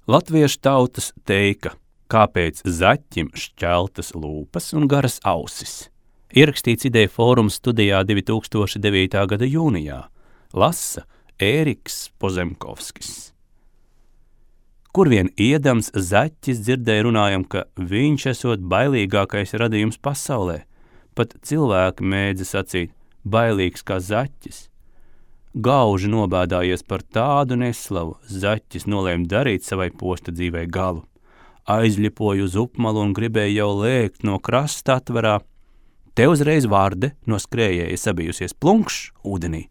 Latviešu tautas teika, kāpēc zaķim šķeltas lūpas un garas ausis. Ierakstīts Ideja fóruma studijā 2009. gada jūnijā. Lasa Ēriks Pozemkovskis. Kur vien iedams, zaķis dzirdēja runājam, ka viņš esot bailīgākais radījums pasaulē. Pat cilvēki mēdza sacīt, bailīgs kā zaķis. Gauži nobēdājies par tādu neslavu, zaķis nolēma darīt savai posta dzīvei galu. Aizļipoja uz upmalu un gribēja jau lēkt no krasta atverā. Te uzreiz vārde no skrējēja sabijusies plunkšs ūdenī.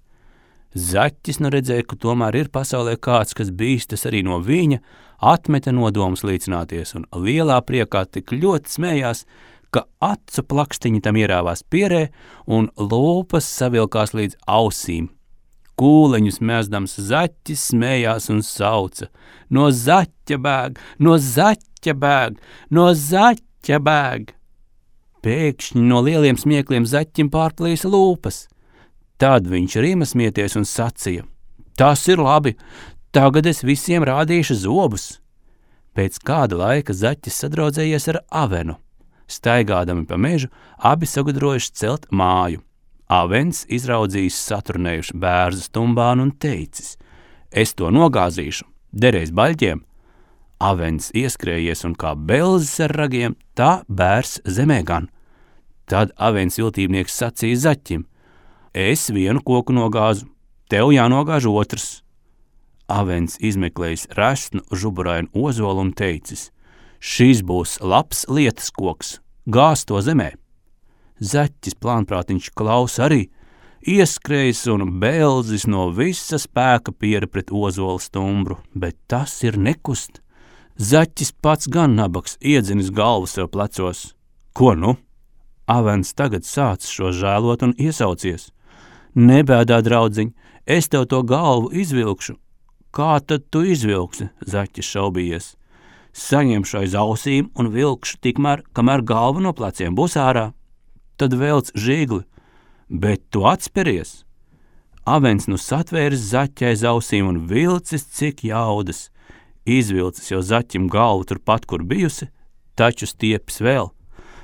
Zaķis nu redzēja, ka tomēr ir pasaulē kāds, kas bīstas arī no viņa, atmeta nodomus līdzināties un lielā priekā tik ļoti smējās, ka acu plakstiņi tam ierāvās pierē un lūpas savilkās līdz ausīm. Kūleņus mēsdams zaķis smējās un sauca: no zaķa bēg, no zaķa bēg, no zaķa bēg! Pēkšņi no lieliem smiekliem zaķim pārplīsa lūpas. Tad viņš rima smieties un sacīja: tas ir labi, tagad es visiem rādīšu zobus. Pēc kāda laika zaķis sadraudzējies ar avenu. Staigādami pa mežu, abi sagudrojuši celt māju. Avens izraudzījis saturnējuši bērzu stumbānu un teicis: es to nogāzīšu, derēs baļķiem. Avens ieskrējies un kā belzis ar ragiem, tā bērs zemē gan. Tad avens viltībnieks sacīja zaķim: es vienu koku nogāzu, tev jānogāž otrs. Avens izmeklējis resnu žuburainu ozolu un teicis: šis būs labs lietas koks, gāz to zemē. Zaķis plānprātiņš klaus arī, ieskrējis un belzis no visa spēka piera pret ozolu stumbru, bet tas ir nekust. Zaķis pats gan nabaks iedzinis galvu sev plecos. Ko nu? Avens tagad sāc šo žēlot un iesaucies: nebēdā, draudziņ, es tev to galvu izvilkšu. Kā tad tu izvilksi? Zaķis šaubījies. Saņemšu aiz ausīm un vilkšu tikmēr, kamēr galva no pleciem būs ārā. Tad velc žīgli, bet tu atspēries. Avens nu satvēris zaķi aiz ausīm un vilcis cik jaudas. Izvilcis jau zaķim galvu turpat, kur bijusi, taču stiepis vēl.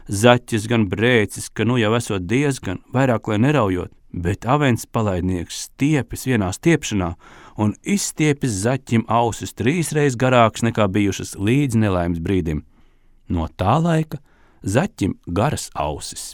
Zaķis gan brēcis, ka nu jau esot diezgan, vairāk lai neraujot, bet avens palaidnieks stiepis vienā stiepšanā un izstiepis zaķim ausis 3 reizes garāks nekā bijušas līdz nelaimes brīdim. No tā laika zaķim garas ausis.